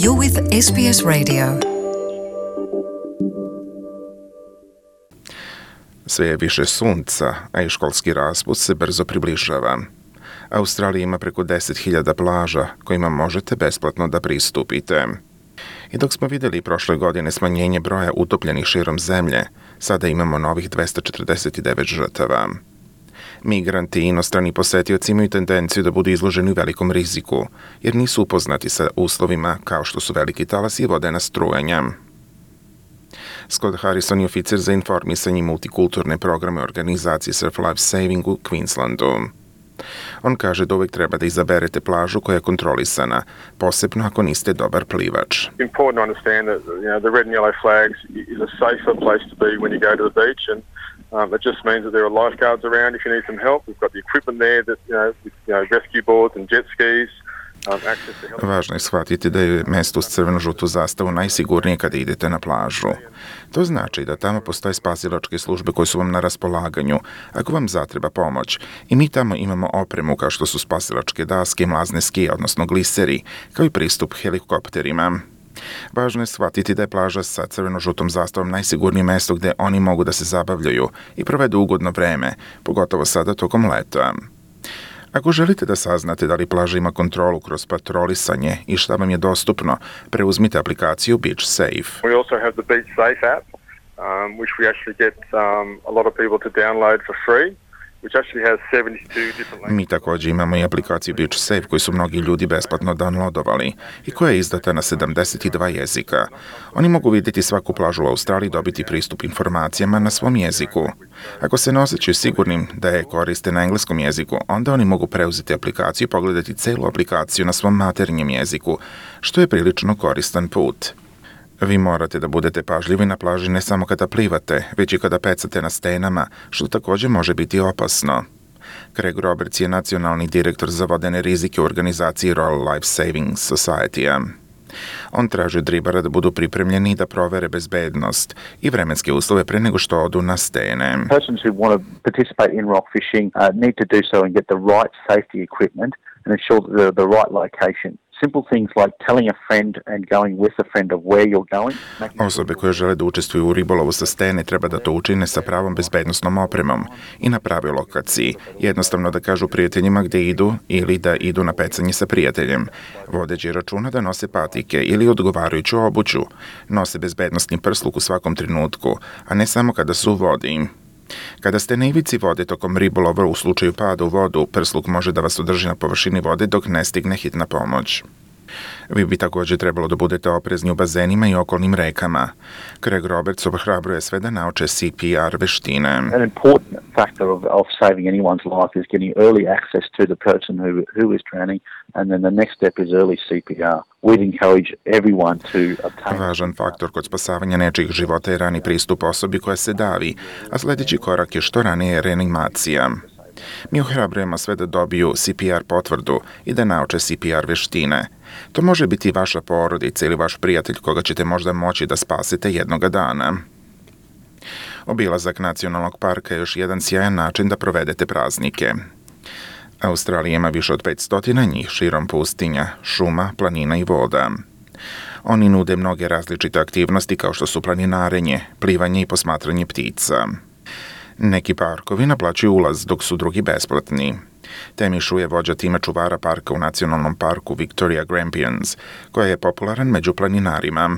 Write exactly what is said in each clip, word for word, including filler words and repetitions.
You're with S B S Radio. Sve je više sunca, a i školski raspust se brzo približava. Australija ima preko deset hiljada plaža kojima možete besplatno da pristupite. I dok smo vidjeli prošle godine smanjenje broja utopljenih širom zemlje, sada imamo novih dvesta četrdeset devet žrtava. Migranti i inostrani posetioci imaju tendenciju da budu izloženi velikom riziku, jer nisu upoznati sa uslovima kao što su veliki talasi i vodena strujanja. Scott Harrison je oficir za informisanje i multikulturne programe organizacije Surf Life Saving u Queenslandu. On kaže da uvijek treba da izaberete plažu koja je kontrolisana, posebno ako niste dobar plivač. Important to understand that you know the red and yellow flags is a safer place to be when you go to the beach, and um, it just means that there are lifeguards around if you need some help. We've got the equipment there that you know, with, you know rescue boards and jet skis. Važno je shvatiti da je mesto uz crveno-žutu zastavu najsigurnije kada idete na plažu. To znači da tamo postoje spasilačke službe koje su vam na raspolaganju ako vam zatreba pomoć. I mi tamo imamo opremu kao što su spasilačke daske, mlazne skije, odnosno gliseri, kao i pristup helikopterima. Važno je shvatiti da je plaža sa crveno-žutom zastavom najsigurnije mesto gdje oni mogu da se zabavljaju i provedu ugodno vreme, pogotovo sada tokom leta. Ako želite da saznate da li plaža ima kontrolu kroz patrolisanje i šta vam je dostupno, preuzmite aplikaciju Beach Safe. We also have the Beach Safe app, um, which we actually get um, a lot of people to download for free. Mi također imamo i aplikaciju Beach Safe koju su mnogi ljudi besplatno downloadovali i koja je izdata na sedamdeset dva jezika. Oni mogu vidjeti svaku plažu u Australiji i dobiti pristup informacijama na svom jeziku. Ako se ne osjećaju sigurnim da je koriste na engleskom jeziku, onda oni mogu preuzeti aplikaciju i pogledati celu aplikaciju na svom maternjem jeziku, što je prilično koristan put. Vi morate da budete pažljivi na plaži ne samo kada plivate, već i kada pecate na stenama, što također može biti opasno. Craig Roberts je nacionalni direktor za vodene rizike u organizaciji Royal Life Saving Society. On traži od ribara da budu pripremljeni da provere bezbednost i vremenske uslove pre nego što odu na stene. Persons who want to participate in rock fishing uh, need to do so and get the right safety equipment and ensure that they're the right location. Simple things like telling a friend and going with a friend of where you're going. Osobe koje žele da učestvuju u ribolovu sa stene treba da to učine sa pravom bezbednosnom opremom i na pravoj lokaciji. Jednostavno da kažu prijateljima gdje idu ili da idu na pecanje sa prijateljem. Vodeći računa da nose patike ili odgovarajuću obuću. Nose bezbednostni prsluk u svakom trenutku, a ne samo kada su u vodi. Kada ste na ivici vode tokom ribolova u slučaju pada u vodu, prsluk može da vas održi na površini vode dok ne stigne hitna pomoć. Vi bi također trebalo da budete oprezni u bazenima i okolnim rekama. Craig Roberts ohrabruje sve da nauče C P R veštine. An important factor of, of saving anyone's life is getting early access to the person who, who is drowning, and then the next step is early C P R. We'd encourage everyone to obtain... Važan faktor kod spasavanja nečijih života je rani pristup osobi koja se davi, a sljedeći korak je što ranije reanimacija. Mi ohrabrujemo sve da dobiju C P R potvrdu i da nauče C P R veštine. To može biti vaša porodica ili vaš prijatelj koga ćete možda moći da spasite jednoga dana. Obilazak nacionalnog parka je još jedan sjajan način da provedete praznike. Australija ima više od petsto njih širom pustinja, šuma, planina i voda. Oni nude mnoge različite aktivnosti kao što su planinarenje, plivanje i posmatranje ptica. Neki parkovi naplaćuju ulaz, dok su drugi besplatni. Temi Shu je vođa tima čuvara parka u nacionalnom parku Victoria Grampians, koja je popularan među planinarima.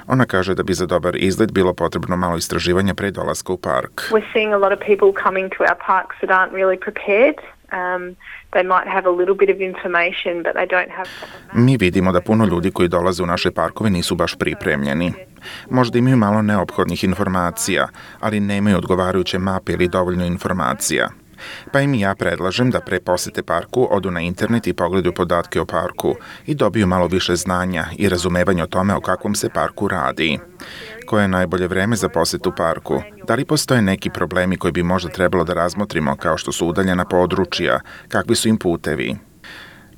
Ona kaže da bi za dobar izgled bilo potrebno malo istraživanja pre dolaska u park. We're seeing a lot of people coming to our parks that aren't really prepared. Um, they might have a little bit of information, but they don't have... Mi vidimo da puno ljudi koji dolaze u naše parkove nisu baš pripremljeni. Možda imaju malo neophodnih informacija, ali nemaju odgovarajuće mape ili dovoljno informacija. Pa im ja predlažem da pre posete parku odu na internet i pogledaju podatke o parku i dobiju malo više znanja i razumevanja o tome o kakvom se parku radi. Koje je najbolje vreme za posetu parku? Da li postoje neki problemi koji bi možda trebalo da razmotrimo, kao što su udaljena područja, kakvi su im putevi?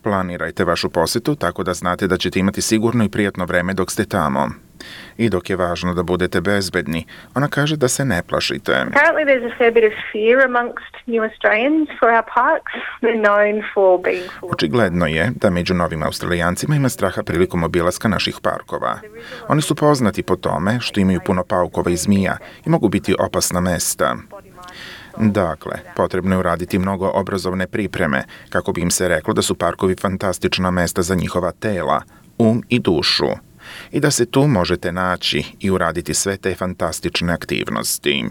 Planirajte vašu posjetu tako da znate da ćete imati sigurno i prijatno vreme dok ste tamo. I dok je važno da budete bezbedni, ona kaže da se ne plašite. Apparently there's a fair bit of fear amongst new Australians for our parks. They're known for being full. Očigledno je da među novim Australijancima ima straha prilikom obilaska naših parkova. Oni su poznati po tome što imaju puno paukova i zmija i mogu biti opasna mesta. Dakle, potrebno je uraditi mnogo obrazovne pripreme kako bi im se reklo da su parkovi fantastična mesta za njihova tela, um i dušu i da se tu možete naći i uraditi sve te fantastične aktivnosti.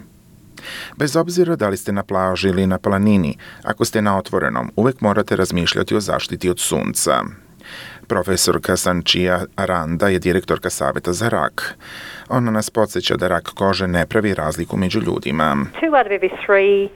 Bez obzira da li ste na plaži ili na planini, ako ste na otvorenom, uvek morate razmišljati o zaštiti od sunca. Profesorka Sanchia Aranda je direktorka Saveta za rak. Ona nas podsjeća da rak kože ne pravi razliku među ljudima. Two out of every three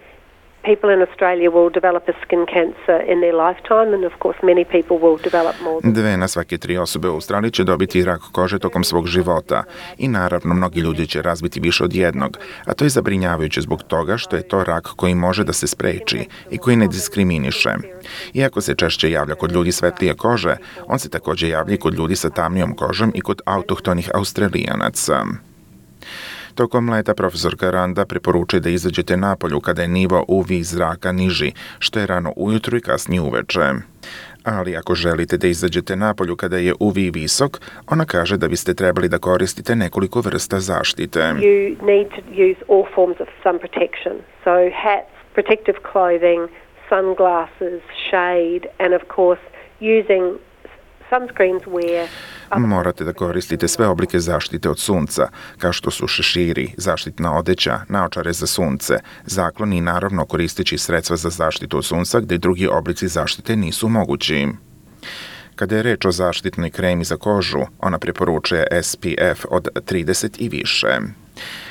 people in Australia will develop a skin cancer in their lifetime, and of course many people will develop more. Dve na svake tri osobe u Australiji će dobiti rak kože tokom svog života i naravno mnogi ljudi će razviti više od jednog, a to je zabrinjavajuće zbog toga što je to rak koji može da se spreči i koji ne diskriminiše. Iako se češće javlja kod ljudi svetlije kože, on se također javlja i kod ljudi sa tamnijom kožom i kod autohtonih Australijanaca. Tokom leta profesorka Randa preporučuje da izađete napolju kada je nivo U V zraka niži, što je rano ujutru i kasnije uveče. Ali ako želite da izađete napolju kada je U V visok, ona kaže da biste trebali da koristite nekoliko vrsta zaštite. You need to use all forms of sun protection. So hats, protective clothing, sunglasses, shade, and of course using sunscreens where Morate da koristite sve oblike zaštite od sunca, kao što su šeširi, zaštitna odeća, naočare za sunce, zakloni i naravno koristeći sredstva za zaštitu od sunca gdje drugi oblici zaštite nisu mogući. Kada je reč o zaštitnoj kremi za kožu, ona preporučuje S P F od trideset i više.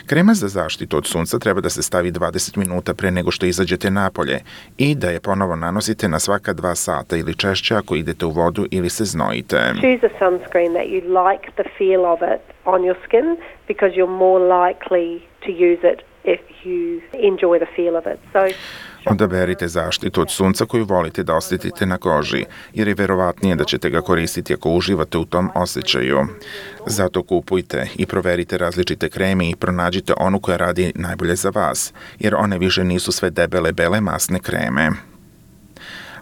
Krema za zaštitu od sunca treba da se stavi dvadeset minuta pre nego što izađete napolje i da je ponovo nanosite na svaka dva sata ili češće ako idete u vodu ili se znojite. Choose a sunscreen that you like the feel of it on your skin because you're more likely to use it if you enjoy the feel of it. So Odaberite zaštitu od sunca koju volite da osjetite na koži, jer je verovatnije da ćete ga koristiti ako uživate u tom osjećaju. Zato kupujte i proverite različite kreme i pronađite onu koja radi najbolje za vas, jer one više nisu sve debele, bele masne kreme.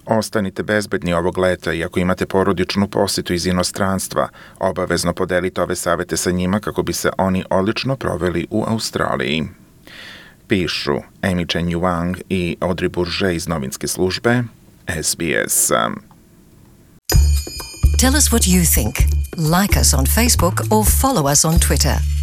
Ostanite bezbedni ovog leta i ako imate porodičnu posjetu iz inostranstva, obavezno podelite ove savete sa njima kako bi se oni odlično proveli u Australiji. Pišu Amy Chen Yuang i Audrey Bourget iz novinske službe S B S. Tell us what you think. Like us on Facebook or follow us on Twitter.